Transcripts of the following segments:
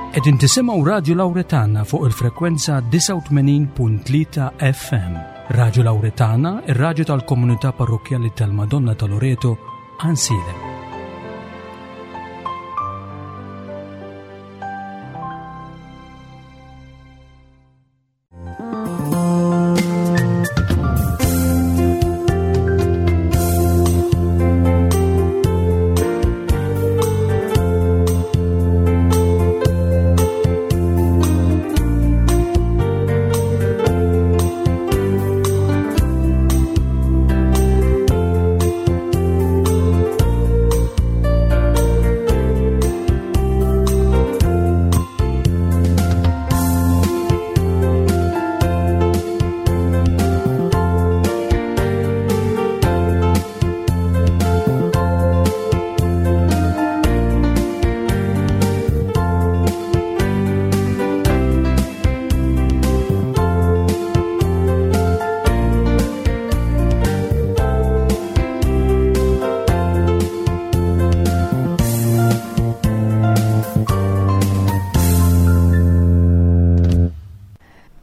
Qegħdin tisimgħu Radju Lawretana fuq il-frekwenza 89.3 FM. Radju Lawretana, ir-radju tal-komunità parrokkjali tal-Madonna ta' Loreto, Ansilem.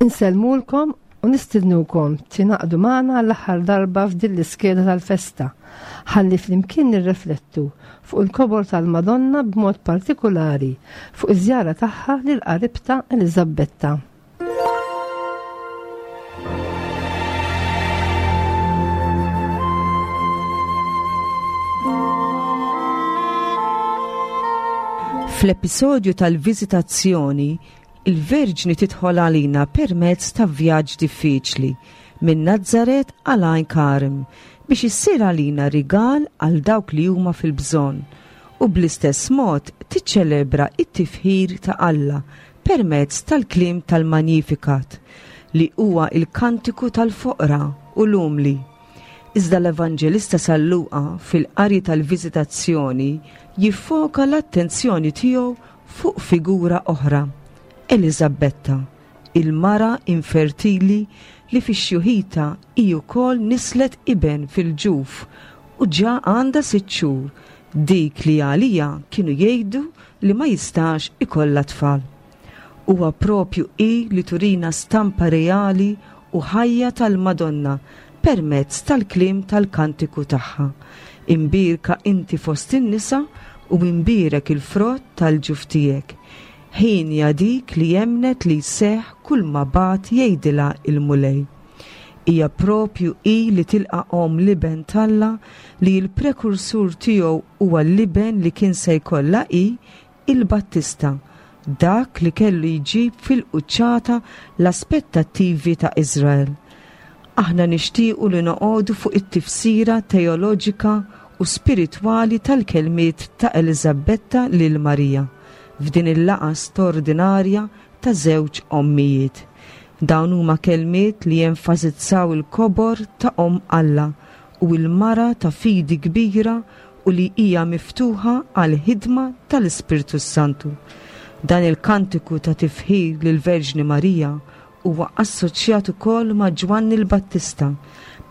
Insellmulkom u nistidnukom tingħaqdu magħna l-aħħar darba f'din l-iskeda tal-festa ħalli flimkien nirreflettu fuq il-kobor tal-Madonna b'mod partikulari fuq iż-żjara tagħha lil qaribta Eliżabetta. Fl-episodju tal-viżitazzjoni, il-Verġni tidħol għalina permezz ta' vjaġġ diffiċli minn Nazaret għal Għajn Karm biex issir għalina rigal għal dawk li huma fil-bżonn u bl-istess mod tiċċelebra t-tifħir ta' Alla permezz tal-kliem tal-Magnificat, li huwa l-kantiku tal-foqra u l-umli. Iżda l-Evanġelista San Luqa fil-qari tal-Viżitazzjoni jiffoka l-attenzjoni tiegħu fuq figura oħra, Eliżabbetta, il-mara infertili li fi xjuħitha hi wkoll nislet iben fil-ġuf u ġa għandha sitt xhur, dik li għaliha kienu jgħidu li ma jistax ikollha tfal. Huwa propju hi li turina stampa reali u ħajja tal-Madonna permezz tal-kliem tal-kantiku tagħha, Imbierka inti fost in-nisa u imbierek il-frott tal-ġuf tiegħek. Hienja dik li emmnet li jseħħ kulma bagħat jgħidilha l-Mulej. Hija propju hi li tilqa' omm l-Iben t'Alla li l-prekursur tiegħu huwa l-Iben li kien se jkollha hi, il-Battista, dak li kellu jġib fil-quċċata l-aspettattivi ta' Iżrael. Aħna nixtiequ li noqogħdu fuq it-tifsira teoloġika u spiritwali tal-kelmiet ta' Eliżabbetta lil Marija f'din il-laqgħa stordinarja ta' żewġ ommijiet. Dawn huma kelmiet li jenfasizzaw il-kobor ta' Omm Alla u l-mara ta' fidi kbira u li hija miftuħa għall-ħidma tal-Ispirtu s-Santu. Dan il-kantiku ta' tifħir lill-Verġni Marija huwa assoċjat ukoll ma' Ġwanni l-Battista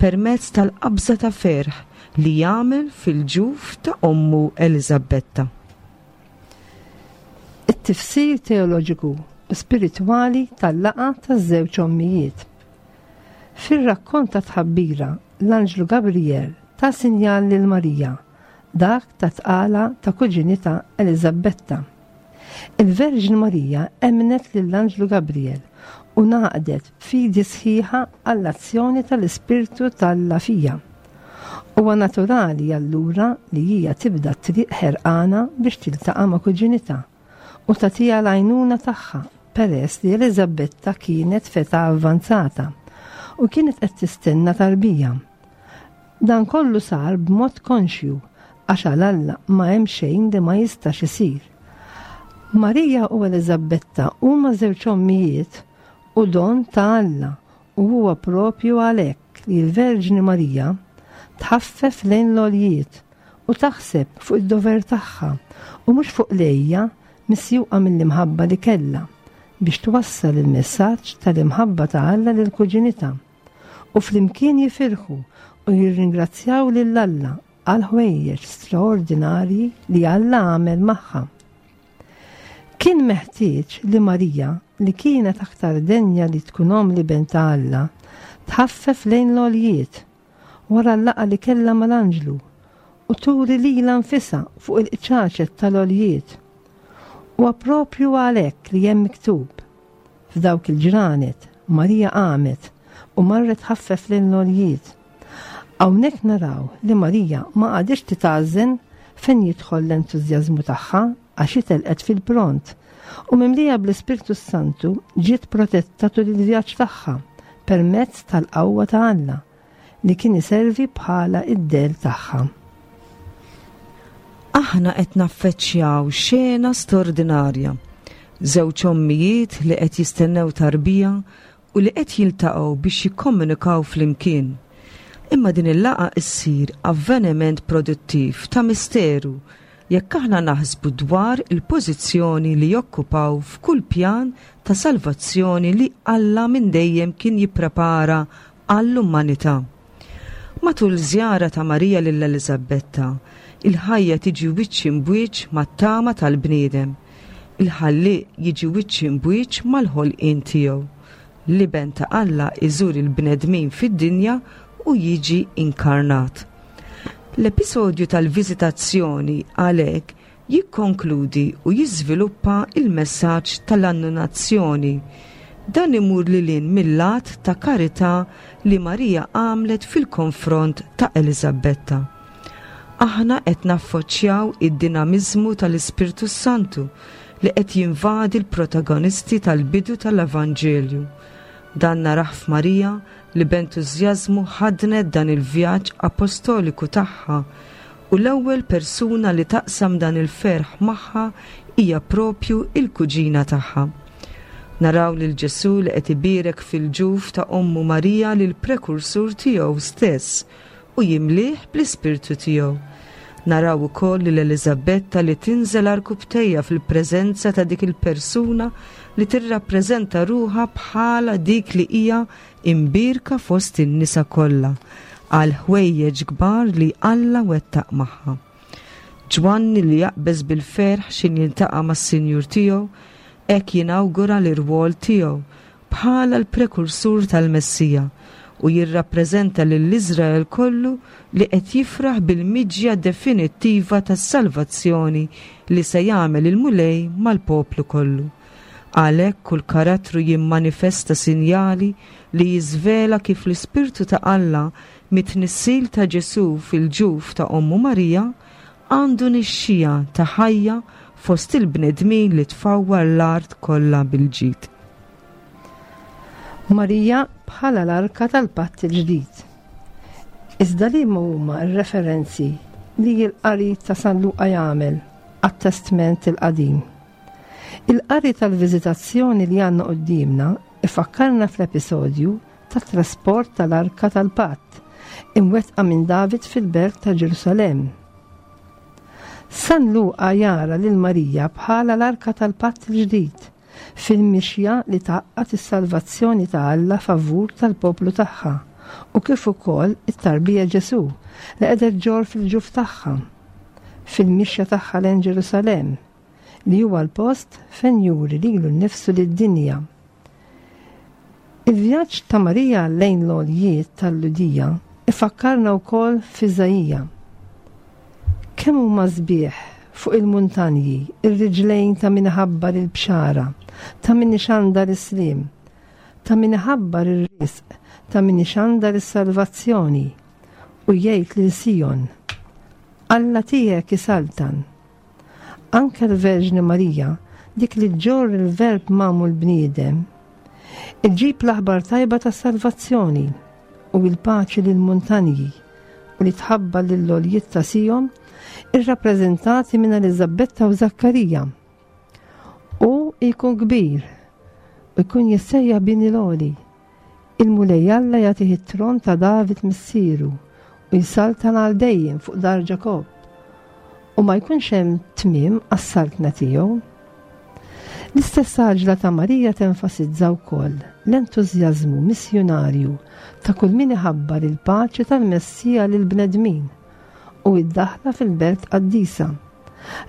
permezz tal-qabża ta' ferħ li jagħmel fil-ġuf ta' ommu Eliżabbetta. It-tifsir teoloġiku u spiritwali tal-laqgħa taż-żewġ ommijiet. Fir-rakkont ta' tħabbira, l-anġlu Gabriel ta sinjal lil Marija, dak ta' tqala ta' kuġinitha Eliżabbetta. Il-Verġni Marija emmnet lill-anġlu Gabriel u ngħaqdet b'fidi sħiħa għall-azzjoni tal-Ispirtu t'Alla fija. Huwa naturali allura li hija tibda t-triq ħerqana biex tiltaqa' ma' kuġinitha u tagħtiha l-għajnuna tagħha peress li Eliżabetta kienet f'età avvanzata u kienet qed tistenna tarbija. Dan kollu sar b'mod konxju għax għal Alla ma hemm xejn li ma jistax isir. Marija u Eliżabetta huma żewġ ommijiet u don ta' Alla u huwa propju għalhekk li l-Verġni Marija tħaffef lejn l-għoljiet u taħseb fuq id-dover tagħha u mhux fuq l-għejja misjuqa mill-imħabba li kellha biex twassal il-messaġġ tal-imħabba ta' Alla lil kuġinitha. U flimkien jifirħu u jirringrazzjaw lil Alla għal ħwejjeġ straordinarji li Alla għamel magħha. Kien meħtieġ li Marija, li kienet aktar denja li tkun omm l-Iben ta' Alla, tħaffef lejn l-għoljiet, wara l-laqgħa li kellha mal-anġlu, u turi lilha nfisha fuq il-qċaċet tal-għoljiet. Huwa proprju għalhekk li hemm miktub, F'dawk il-ġranet, Marija qamet u marret tħaffef lejn l-għoljiet. Hawnhekk naraw li Marija ma qagħditx titgħażżen fejn jidħol l-entużjażmu tagħha għax hi telqet fil-pront u mimlija bl-Ispirtu s-Santu ġiet protetta tul il-vjaġġ tagħha permezz tal-qawwa ta' Alla li kien iservi bħala id-dell tagħha. Aħna qed naffeċċjaw xena stordinarja. Żewġ ommijiet li qed jistennew tarbija u li qed jiltaqgħu biex jikkomunikaw flimkien. Imma din il-laqgħa issir avveniment produttiv ta' misteru jekk aħna naħsbu dwar il-pożizzjoni li jokkupaw f'kull pjan ta' salvazzjoni li Alla minn dejjem kien jipprepara għall-umanità. Matul żjara ta' Marija lil Eliżabetta, il-ħajja tiġi wiċċ imbwiċċ mat-tama tal-bniedem. Il-Ħallieq jiġi wiċċ imbwiċċ mal-ħolqien tiegħu. L-Iben ta' Alla iżur il-bnedmin fid-dinja u jiġi inkarnat. L-episodju tal-viżitazzjoni għalhekk jikkonkludi u jiżviluppa l-messaġġ tal-annunazzjoni. Dan imur lil hinn mill-att ta' karità li Marija għamlet fil-konfront ta' Eliżabetta. Aħna qed naffoċċjaw id-dinamiżmu tal-Ispirtu s-Santu li qed jinvadi l-protagonisti tal-bidu tal-Evanġelju. Dan narah f'Marija li b'entużjażmu ħaddnet dan il-vjaġġ apostoliku tagħha u l-ewwel persuna li taqsam dan il-ferħ magħha hija propju il-kuġina tagħha. Naraw lil Ġesù li qed ibierek fil-ġuf ta' ommu Marija lill-prekursur tiegħu stess u jimlieh bl-Ispirtu tiegħu. Naraw ukoll lil Eliżabetta li tinżel għarkupptejha fil-preżenza ta' dik il-persuna li tirrappreżenta ruħha bħala dik li hija imbierka fost in-nisa kollha għal ħwejjeġ kbar li Alla wettaq magħha. Ġwanni li jaqbeż bil-ferħ x'in jiltaqa' mas-Sinjur tiegħu, hekk jinawgura l-irwol tiegħu bħala l-prekursur tal-Messija u jirrappreżenta lil Iżrael kollu li qed jifraħ bil-miġja definittiva tas-salvazzjoni li se jagħmel il-Mulej mal-poplu kollu. Għalhekk kull karattru jimmanifesta sinjali li jiżvela kif l-Ispirtu ta' Alla mit-tnissil ta' Ġesù fil-ġuf ta' ommu Marija għandu nixxiegħa ta' ħajja fost il-bnedmin li tfawwar l-art kollha bil-ġid. Marija bħala l-Arka tal-Patt il-Ġdid. Iżda liema huma r-referenzi li l-qari ta' San Luqa jagħmel għat-Testment il-Qadim? Il-qari tal-viżitazzjoni li għandna quddiemna ifakkarna fl-episodju tat-trasport tal-Arka tal-Patt imwettqa minn David fil-belt ta' Ġerusalemm. San Luqa jara lil Marija bħala l-Arka tal-Patt il-Ġdid fil-mixja li tgħaqqad is-salvazzjoni ta' Alla favur tal-poplu tagħha u kif ukoll it-tarbija Ġesù li qiegħda ġġorr fil-ġuf tagħha fil-mixja tagħha lejn Ġerusalemm li huwa l-post fejn juri lilu nnifsu lid-dinja. Il-vjaġġ ta' Marija lejn l-għoljiet tal-Lhudija ifakkarna wkoll f'Iżaija. Kemm huma sbieħ fuq il-muntanji ir-riġlejn ta' min iħabbar il-bxara, ta' min ixandar is-sliem, ta' min iħabbar ir-risq, ta' min ixandar is-salvazzjoni, u jgħid lil Sijon, Alla tiegħek isaltan. Anke l-Verġni Marija, dik li ġġorr il-Verb magħmul bniedem, iġġib l-aħbar tajba tas-salvazzjoni u l-paċi lill-muntanji u li tħabbar lill-għoljiet ta' Sijon irrappreżentati minn Eliżabetta u Zakkarija. U jkun kbir u jkun jissejjaħ bin il-għoli. Il-Mulej Alla jagħtih it-tron ta' David missieru u jsaltan għal dejjem fuq dar Ġakobb, u ma jkunx hemm tmiem għas-saltna tiegħu. L-istess għaġla ta' Marija tenfasizza wkoll l-entużjażmu missjunarju ta' kull min iħabbar il-paċi tal-Messija lill-bnedmin u d-daħla fil-belt qaddisa.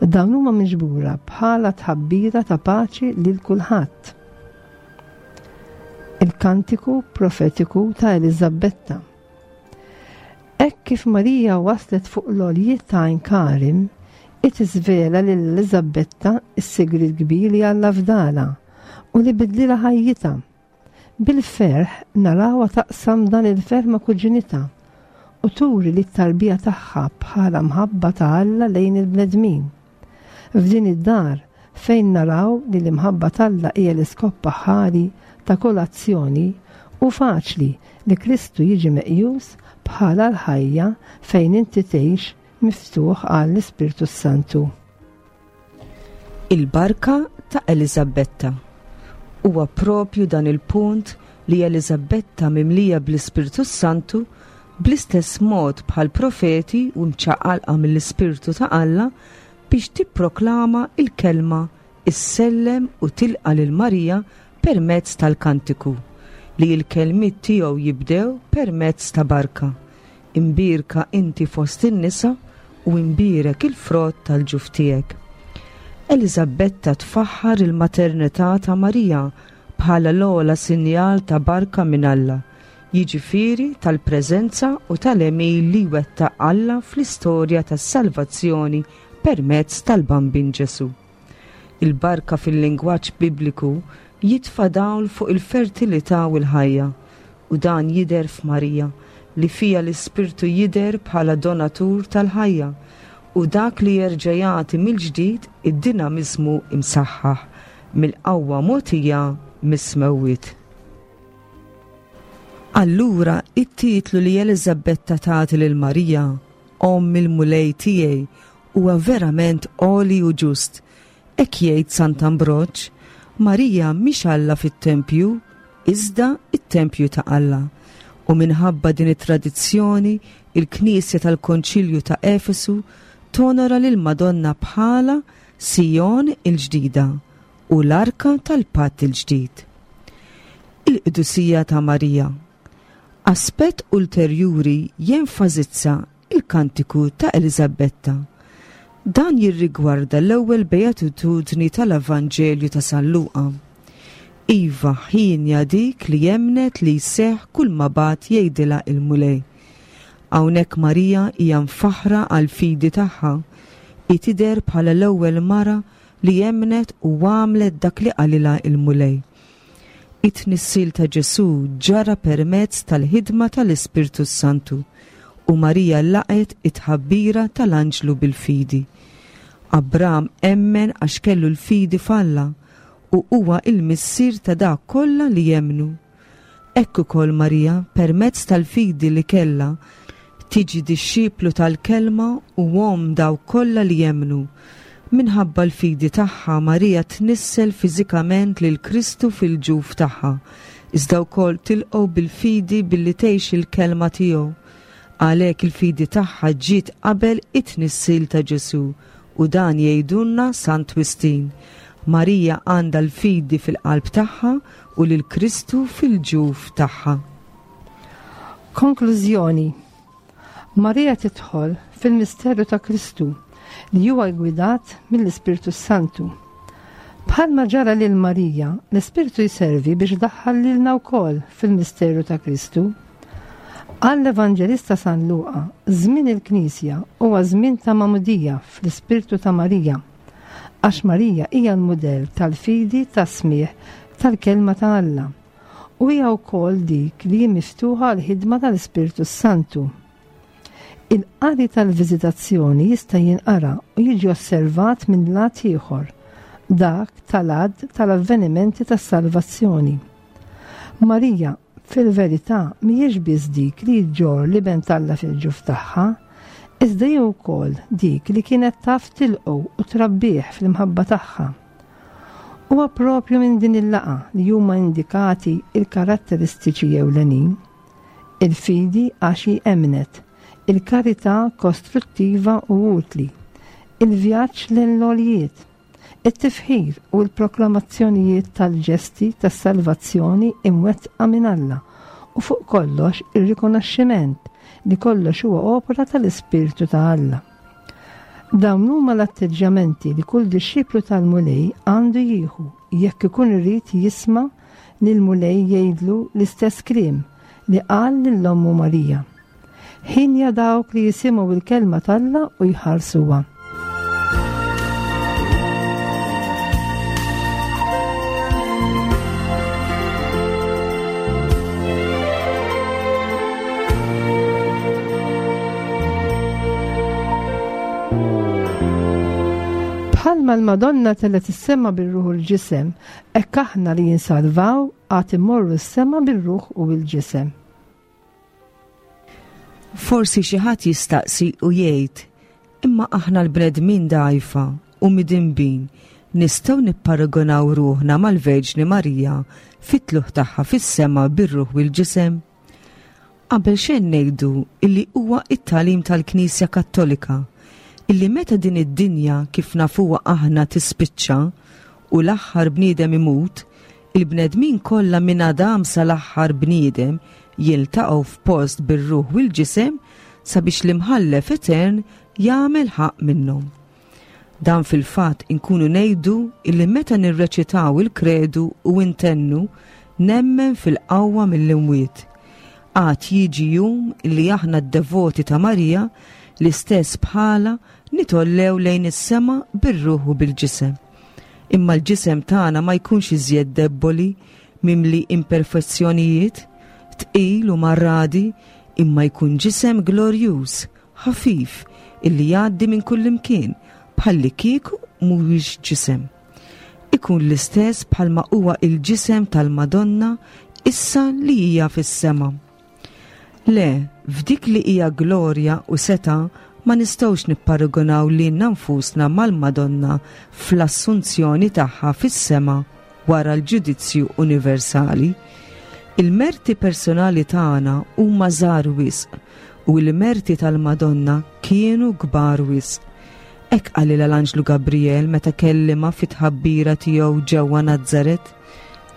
Dawn huma miġbura bħala tħabbira ta' paċi lil kulħadd. Il-kantiku profetiku ta' Eliżabetta. Hekk kif Marija waslet fuq l-għoljiet ta' Għajn Karim, hi tiżvela lil Eliżabetta s-sigriet kbir li Alla fdalha u li bidlilha ħajjitha. Bil-ferħ narawha taqsam dan il-ferħ ma' kuġinitha u turi lit-tarbija tagħha bħala mħabba ta' Alla lejn il-bnedmin. F'din id-dar, fejn naraw li l-imħabba t'Alla hija l-iskop aħħari ta' kull azzjoni, hu faċli li Kristu jiġi meqjus bħala l-ħajja fejn inti tgħix miftuħ għall-Ispirtu s-Santu. Il-barka ta' Eliżabetta. Huwa propju dan il-punt li Eliżabetta mimlija bl-Ispirtu s-Santu, bl-istess mod bħall-profeti u mċaqalqa mill-Ispirtu ta' Alla biex tipproklama il-kelma, issellem u tilqa' lil Marija permezz tal-kantiku, li l-kelmiet tiegħu jibdew permezz ta' barka, Imbierka inti fost in-nisa u imbierek il-frott tal-ġuf tiegħek. Eliżabetta tfaħħar il-maternità ta' Marija bħala l-ogħla sinjal ta' barka minn Alla, jiġifieri tal-preżenza u tal-għemil li jwettaq Alla fl-istorja tas-salvazzjoni permezz tal-Bambin Ġesù. Il-barka fil-lingwaġġ Bibliku jitfa' dawl fuq il-fertilità u l-ħajja, u dan jidher f'Marija, li fiha l-Ispirtu jidher bħala donatur tal-ħajja u dak li jerġa' jagħti mill-ġdid id-dinamiżmu msaħħaħ mill-qawwa mogħtija mis-smewwiet. Allura, it-titlu li Eliżabetta tagħti lil Marija, Omm il-Mulej tiegħi, huwa verament għoli u ġust. Hekk jgħid Sant'Ambroġ, Marija mhix Alla fit-tempju, iżda t-tempju ta' Alla. U minħabba din it-tradizzjoni, il-Knisja tal-Konċilju ta' Efesu tonora lill-Madonna bħala Sijon il-ġdida u l-Arka tal-Patt il-Ġdid. Il-Qdusija ta' Marija. Aspett ulterjuri jenfasizza l-kantiku ta' Eliżabetta. Dan jirrigwarda l-ewwel beatitudni tal-Evanġelju ta' San Luqa. Iva, hienja dik li emmnet li jseħħ kull ma bagħat jgħidilha il-Mulej. Hawnhekk Marija hija mfaħħra għall-fidi tagħha. Hi tidher bħala l-ewwel mara li emmnet u għamlet dak li qalilha il-Mulej. It-tnissil ta' Ġesù ġara permezz tal-ħidma tal-Ispirtu s-Santu, u Marija laqgħet it-tħabbira tal-anġlu bil-fidi. Abram emmen għax kellu l-fidi f'Alla, u huwa l-missier ta' dawk kollha li jemmnu. Hekk ukoll Marija, permezz tal-fidi li kellha, tiġi dixxiplu tal-Kelma u omm dawk kollha li jemmnu. Minħabba l-fidi tagħha, Marija tnissel fiżikament lil Kristu fil-ġuf tagħha, iżda wkoll tilqgħu bil-fidi billi tgħix il-Kelma tiegħu. Għalhekk il-fidi tagħha ġiet qabel it-tnissil ta' Ġesù, u dan jgħidulna Sant Wistin. Marija għandha l-fidi fil-qalb tagħha u lil Kristu fil-ġuf tagħha. Konklużjoni Marija tidħol fil-misteru ta' Kristu li huwa ggwidat mill-Ispirtu s-Santu. Bħalma ġara lil Marija, l-Ispirtu jservi biex daħħal lilna wkoll fil-misteru ta' Kristu. Għall-Evanġelista San Luqa, żmien il-Knisja huwa żmien ta' magħmudija fl-Ispirtu ta' Marija. Għax Marija hija l-mudell tal-fidi tas-smigħ tal-Kelma ta' Alla u hija wkoll dik li hi miftuħa għall-ħidma tal-Ispirtu s-Santu. Il-qari tal-viżitazzjoni jista' jinqara u jiġi osservat minn lat ieħor, dak tal-għadd tal-avvenimenti tas-salvazzjoni. Marija Fil-verità, mhijiex biss dik li ġġorr l-Iben t'Alla fil-ġuf tagħha, iżda hi wkoll dik li kienet taf tilqgħu u trabbih fl-imħabba tagħha. Huwa proprju minn din il-laqgħa li huma indikati l-karatteristiċi ewlenin, il-fidi għax hi emmnet, il-karità kostruttiva u utli, il-vjaġġ lejn l-għoljiet, It-tifħir u l-proklamazzjonijiet tal-ġesti tas-salvazzjoni imwettqa minn Alla, u fuq kollox ir-rikonoxximent li kollox huwa opra tal-Ispirtu ta' Alla. Dawn huma l-atteġġjamenti li kull dixxiplu tal-Mulej għandu jieħu jekk ikun irid jisma' lill-Mulej jgħidlu l-istess kliem li qal lil ommu Marija. Ħinja dawk li jisimgħu l-kelma t'Alla u jħarsuha. Bħalma l-Madonna telgħet is-sema bir-ruħ u l-ġisem, hekk aħna li jinsalvaw għad immorru s-sema bir-ruħ u l-ġisem. Forsi xi ħadd jistaqsi u jgħid, imma aħna l-bnedmin dgħajfa u midinbin nistgħu nipparagunaw ruħna mal-Verġni Marija fit-tlugħ tagħha fis-sema bir-ruħ u l-ġisem? Qabel xejn ngħidu illi huwa t-tagħlim tal-Knisja Kattolika illi meta din id-dinja kif nafuha aħna tispiċċa u l-aħħar bniedem imut, il-bnedmin kollha minn Adam sal-aħħar bniedem jiltaqgħu f'post bir-ruħ u l-ġisem sabiex l-Imħallef Etern jagħmel ħaqq minnhom. Dan fil-fatt inkunu ngħidu illi meta nirreċitaw il-Kredu u intennu nemmen fil-qawwa mill-imwiet. Għad jiġi jum illi aħna d-devoti ta' Marija l-istess bħala nitollew lejn is-sema bir-ruħ u bil-ġisem. Imma l-ġisem tagħna ma jkunx iżjed debboli, mimli imperfezzjonijiet, tqil u marradi, imma jkun ġisem glorjuż, ħafif illi jgħaddi minn kullimkien bħallikieku mhuwiex ġisem. Ikun l-istess bħalma huwa il-ġisem tal-Madonna issa li hija fis-sema. Le, f'dik li hija glorja u setgħa ma nistgħux nipparagunaw lilna nfusna mal-Madonna fl-assunzjoni tagħha fis-sema wara l-ġudizzju universali. Il-merti personali tagħna huma żgħar wisq u l-merti tal-Madonna kienu kbar wisq. Hekk qalilha l-anġlu Gabrijel meta kellimha fit-tħabbira tiegħu ġewwa Nazaret,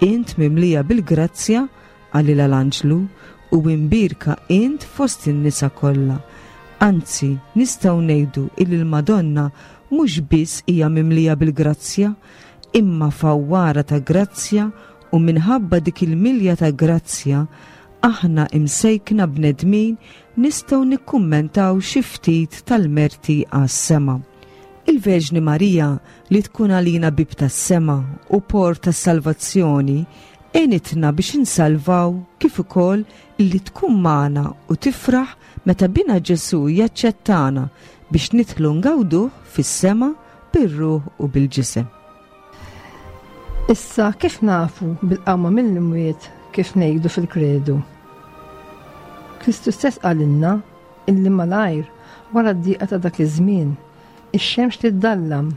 Int mimlija bil-grazzja, qalilha l-anġlu, u imbierka int fost in-nisa kollha. Anzi, nistgħu ngħidu illi l-Madonna mhux biss hija mimlija bil-grazzja, imma fawwara ta' grazzja u minħabba dik il-milja ta' grazzja aħna imsejkna bnedmin nistgħu nikkummentaw xi ftit tal-merti għas-sema. Il-Verġni Marija li tkun għalina bieb tas-sema u port tas-salvazzjoni għenitna biex insalvaw kif ukoll illi tkun magħna u tifraħ meta Binha Ġesù jaċċettana biex nidħlu ngawduh fis-sema bir-ruħ u bil-ġisem. Issa kif nafu bil-qawma mill-imwiet kif ngħidu fil-kredu? Kristu stess qalilna illi malajr wara d-diqa ta' dak iż-żmien, ix-xemx tiddallam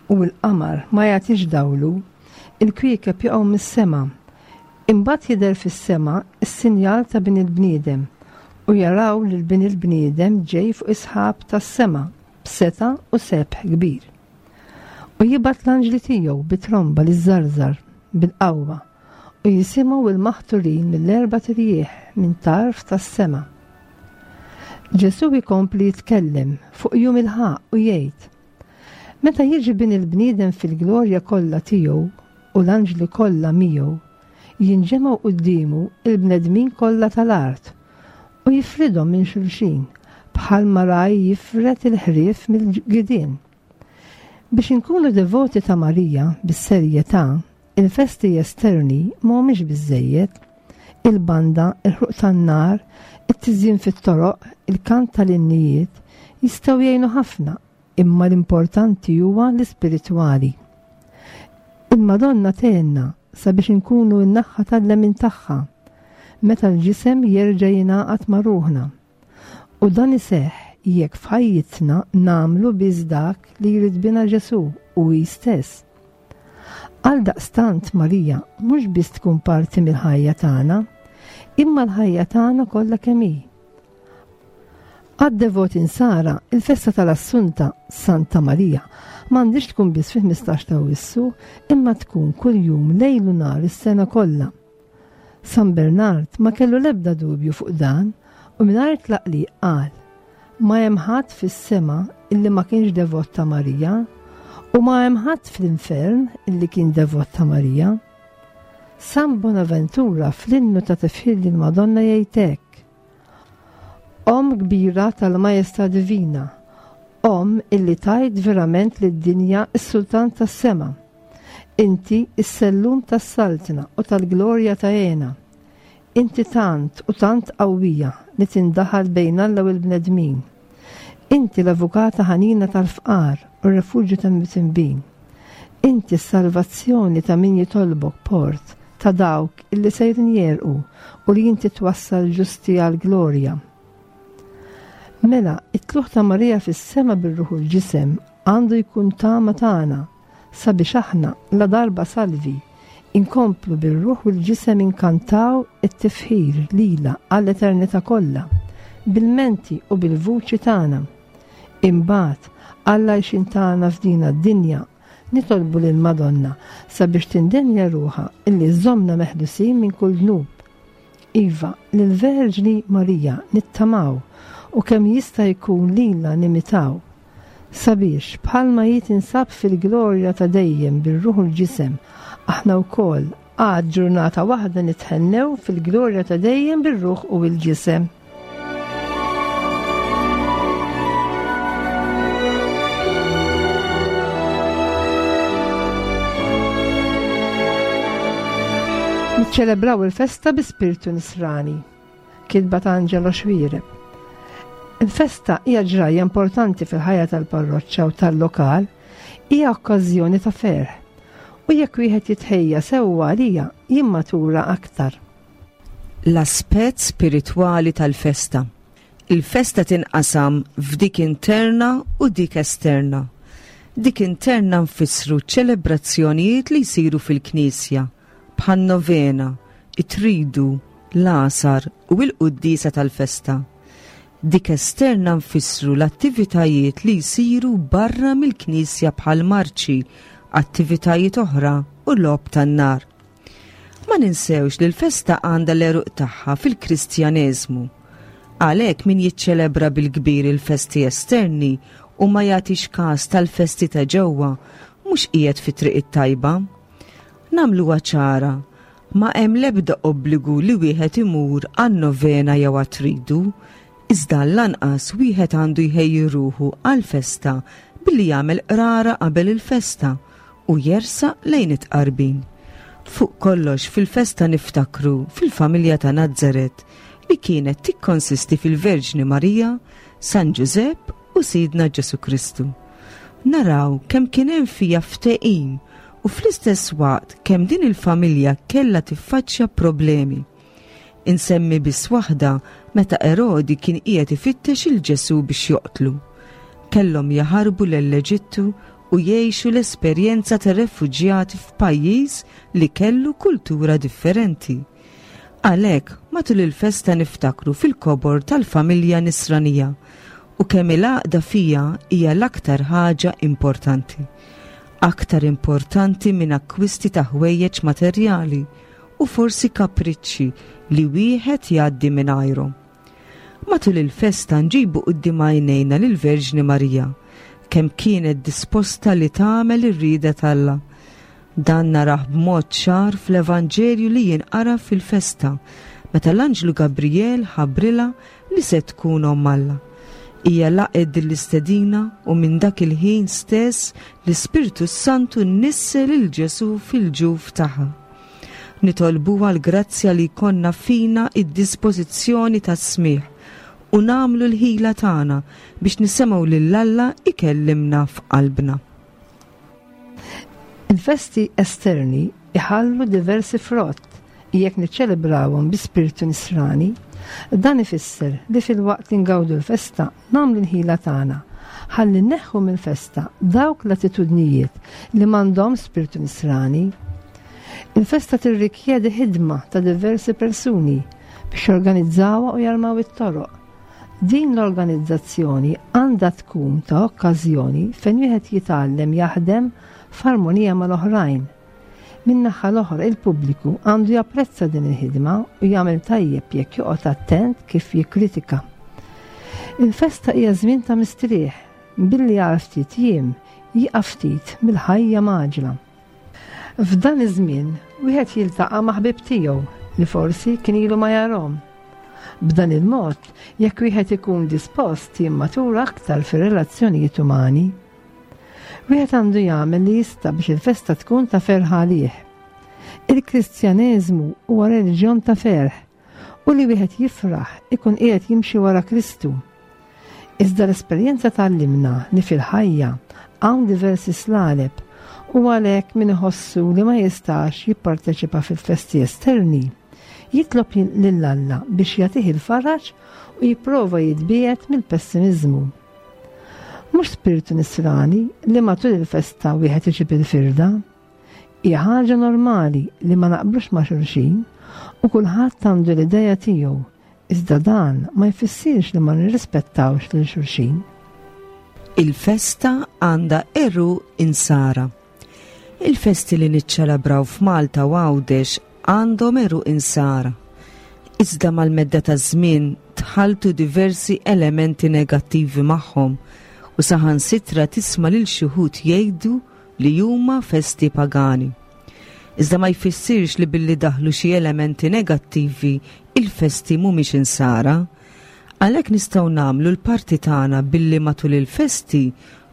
u l-qamar ma jagħtix dawlu, il-kwiekeb jaqgħu mis-sema. Imbagħad jidher fis-sema s-sinjal ta' Bin il-bniedem u jaraw lil Bin il-bniedem ġej fuq is-sħab tas-sema b'setgħa u sebħ kbir. U jibgħat l-anġli tiegħu bi tromba li żżarżar bil-qawwa u jisimgħu l-maħturin mill-erbat irjieħ minn tarf tas-sema. Ġesù jkompli jitkellem fuq jum il-ħaqq u jgħid, Meta jiġi bin il-bniedem fil-glorja kollha tiegħu u l-anġli kollha miegħu, jinġemgħu quddiemu l-bnedmin kollha tal-art u jifridhom minn xulxin bħalma ragħaj jifred il-ħrief mill-gidien. Biex inkunu devoti ta' Marija bis-serjetà, il-festi esterni ma humiex biżżejjed. Il-banda, il-ħruq tan-nar, it-tiżjin fit-toroq, il-kant tal-innijiet jistgħu jgħinu ħafna, imma l-importanti huwa l-ispiritwali. Il-Madonna tgħinna sabiex inkunu n-naħħa tal-lemin tagħha meta l-ġisem jerġa' jingħaqad ma' ruħna. U dan iseħħ jekk f'ħajjitna nagħmlu biss dak li jrid bina Ġesù u hi stess. Għaldaqstant Marija mhux biss tkun parti mill-ħajja tagħna, imma l-ħajja tagħna kollha kemm hi. Għad-devoti Nsara, il-festa tal-Assunta Santa Marija m'għandhiex tkun biss fil-15 ta' Awwissu, imma tkun kuljum lejl u nhar is-sena kollha. San Bernard ma kellu l-ebda dubju fuq dan u mingħajr tlaqliq qal, Ma hemm ħadd fis-sema illi ma kienx devot ta' Marija u ma hemm ħadd fl-infern illi kien devot ta' Marija. San Bonaventura fl-innu ta' tifħir lill-Madonna jgħid hekk, Omm kbira tal-Majestà Divina, Omm illi tajt verament lid-dinja s-Sultan tas-sema. Inti s-sellum tas-saltna u tal-glorja ta' għena. Inti tant u tant qawwija li tindaħal bejn Alla u l-bnedmin. Inti l-avukata ħanina tal-fqar u r-refuġju tal-mitinbin. Inti s-salvazzjoni ta' min jitolbok port ta' dawk illi sejrin jegħrqu u li inti twassal ġusti għall-glorja. Mela, it-tlugħ ta' Marija fis-sema bir-ruħ u l-ġisem għandu jkun tama tagħna sabiex aħna, ladarba salvi, inkomplu bir-ruħ u l-ġisem inkantaw it-tifħir lilha għall-eternità kollha, bil-menti u bil-vuċi tagħna. Imbagħad, għall-għajxien tagħna f'dina d-dinja, nitolbu lill-Madonna sabiex tindenja ruħha illi żżommna meħlusin minn kull dnub. Iva, lill-Verġni Marija nittamaw u kemm jista' jkun lilha nimitaw. Sabiex, bħalma hi tinsab fil-glorja ta' dejjem bir-ruħ u l-ġisem, aħna wkoll għad ġurnata waħda nithennew fil-glorja ta' dejjem bir-ruħ u l-ġisem. Niċċelebraw il-festa bi spirtu nisrani. Kitba ta' Angelo Xuereb. Il-festa hija ġrajja importanti fil-ħajja tal-parroċċa u tal-lokal, hija okkażjoni ta' ferħ. U jekk wieħed jitħejja sewwa għalija, jimmatura aktar. L-aspett spiritwali tal-festa. Il-festa tinqasam f'dik interna u dik esterna. Dik interna nfissru ċ-ċelebrazzjonijiet li jsiru fil-knisja, bħan-novena, it-tridu, l-għasar u l-quddiesa tal-festa. Dik esterna nfissru l-attivitajiet li jsiru barra mill-knisja bħal marċi, attivitajiet oħra u logħob tan-nar. Ma ninsewx li l-festa għandha l-għeruq tagħha fil-Kristjaneżmu. Għalhekk min jiċċelebra bil-kbir il-festi esterni u ma jagħtix każ tal-festi ta' ġewwa mhux qiegħed fit-triq it-tajba. Nagħmluha ċara, ma hemm l-ebda obbligu li wieħed imur għan-novena jew għat-tridu, iżda lanqas wieħed għandu jħejji ruħu għall-festa billi jagħmel qrara qabel il-festa u jersaq lejn it-tqarbin. Fuq kollox fil-festa niftakru fil-familja ta' Nazaret li kienet tikkonsisti fil-Verġni Marija, San Ġużepp u Sidna Ġesù Kristu. Naraw kemm kien hemm fiha ftehim u fl-istess waqt kemm din il-familja kellha tiffaċċja problemi. Insemmi biss waħda meta Erodi kien qiegħed ifittex il Ġesù biex joqtlu. Kellhom jaħarbu lell-Eġittu u jgħixu l-esperjenza ta' refuġjati f'pajjiż li kellu kultura differenti. Għalhekk, matul il-festa niftakru fil-kobor tal-familja nisranija u kemm il-għaqda fiha hija l-aktar ħaġa importanti. Aktar importanti minn akkwisti ta' ħwejjeġ materjali u forsi kapriċċi li wieħed jgħaddi mingħajrhom. Matul il-festa nġibu quddiem għajnejna lill-Verġni Marija, kemm kienet disposta li tagħmel ir-rieda t'Alla. Dan narah b'mod ċar fl-Evanġelju li jinqara fil-festa, meta l-anġlu Gabrijel ħabbrilha li se tkun omm Alla. Hija laqgħet din l-istedina u minn dak il-ħin stess l-Ispirtu s-Santu nissel lil Ġesù fil-ġuf tagħha. Nitolbuha l-grazzja li jkollna fina d-dispożizzjoni tas-smigħ u nagħmlu l-ħila tagħna biex nisimgħu lil Alla jkellimna f'qalbna. Il-festi esterni iħallu diversi frott jekk niċċelebrawhom bi spirtu nisrani. Dan ifisser li filwaqt li ngawdu l-festa nagħmlu l-ħila tagħna ħalli nneħħu mill-festa dawk l-attitudnijiet li m'għandhomx spirtu nisrani. Il-festa tirrikjedi ħidma ta' diversi persuni biex jorganizzawha u jarmaw it-toroq. Din l-organizzazzjoni għandha tkun ta' okkażjoni fejn wieħed jitgħallem jaħdem f'armonija mal-oħrajn. Min-naħa l-oħra il-pubbliku għandu japprezza din il-ħidma u jagħmel tajjeb jekk joqgħod attent kif jikkritika. Il-festa hija żmien ta' mistrieħ. billi għal ftit jiem jieqaf ftit mill-ħajja mgħaġġla. F'dan iż-żmien wieħed jiltaqa' ma' ħbieb tiegħu li forsi kien ilu ma jarhom. B'dan il-mod, jekk wieħed ikun dispost jimmatura aktar fir-relazzjonijiet umani. Wieħed għandu jagħmel li jista' biex il-festa tkun ta' ferħ għalih. Il-Kristjaneżmu huwa reliġjon ta' ferħ u li wieħed jifraħ ikun qiegħed jimxi wara Kristu. Iżda l-esperjenza tgħallimna li fil-ħajja hawn diversi slaleb u għalhekk min iħossu li ma jistax jipparteċipa fil-festi esterni, jitlob lil Alla biex jagħtih il-faraġ u jipprova jitbiegħed mill-pessimiżmu. Mhux spirtu nisrani li matul il-festa wieħed iġib il-firda. Hija ħaġa normali li ma naqblux ma' xulxin u kulħadd għandu l-idea tiegħu, iżda dan ma jfissirx li ma nirrispettawx lil xulxin. Il-festa għandha għeruq insara. Il-festi li niċċelebraw f'Malta u Għawdex għandhom għeruq insara. Iżda mal-medda taż-żmien tħalltu diversi elementi negattivi magħhom u saħansitra tisma' lil xi wħud jgħidu li huma festi pagani. Iżda ma jfissirx li billi daħlu xi elementi negattivi il-festi mhumiex insara. Għalhekk nistgħu nagħmlu l-parti tagħna billi matul il-festi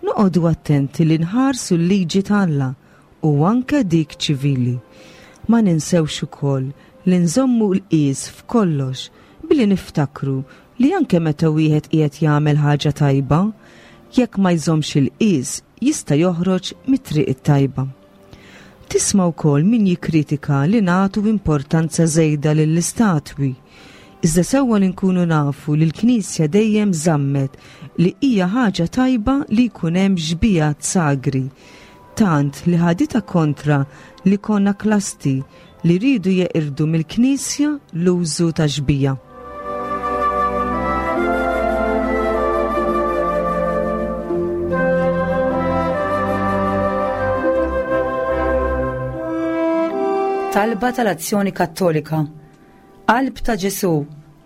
noqogħdu attenti li nħarsu l-liġi t'Alla u anke dik ċivili. Ma ninsewx ukoll li nżommu l-qies f'kollox billi niftakru li anke meta wieħed qiegħed jagħmel ħaġa tajba, jekk ma jżommx il-qies jista' joħroġ mit-triq it-tajba. Tisma' wkoll min jikkritika li nagħtu importanza żejda lill-istatwi. Iżda sewwa li nkunu nafu li l-Knisja dejjem żammet li hija ħaġa tajba li jkun hemm xbiehat sagri, tant li ħaditha kontra l-ikonaklasti li riedu jeqirdu mill-Knisja l-użu ta' xbieha. Talba tal-Azzjoni Kattolika Qalb ta' Ġesù,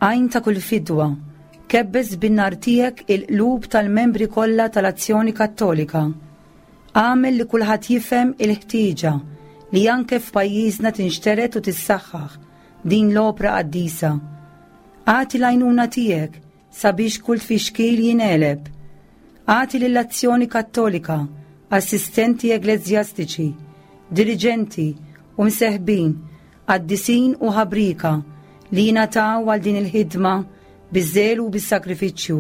għajn ta' kull fidwa, kebbes bin-nar tiegħek il-qlub tal-membri kollha tal-Azzjoni Kattolika. Agħmel li kulħadd jifhem il-ħtieġa li anke f'pajjiżna tinxtered u tissaħħaħ din l-opra qaddisa. Agħti l-għajnuna tiegħek sabiex kull tfixkil jingħeleb. Agħti lill-Azzjoni Kattolika assistenti ekleżjastiċi, diriġenti u mseħbin, qaddisin u ħabrieka li jingħataw għal din il-ħidma biż-żelu u bis-sagrifiċċju.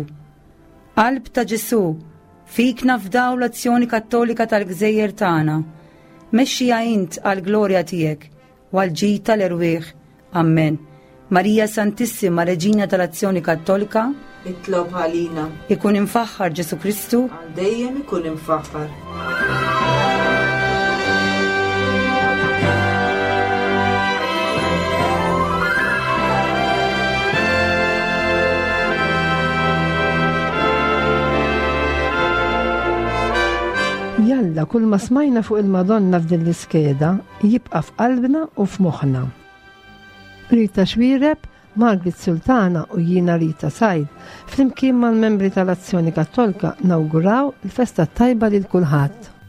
Qalb ta' Ġesù, Fik nafdaw l-azzjoni kattolika tal-gżejjer tagħna. Mexxiha int għall-glorja tiegħek u għall-ġid tal-erwieħ. Ammen. Marija Santissima, Reġina tal-Azzjoni Kattolika, Itlob għalina. Ikun imfaħħar Ġesu Kristu. Għal dejjem ikun imfaħħar. Jalla kull ma smajna fuq il-Madonna f'din l-iskeda jibqa' f'qalbna u f'moħħna. Rita Xwireb, Margaret Sultana u jiena Rita Said, flimkien mal-membri tal-Azzjoni Kattolka nawguraw il-festa tajba lil kulħadd.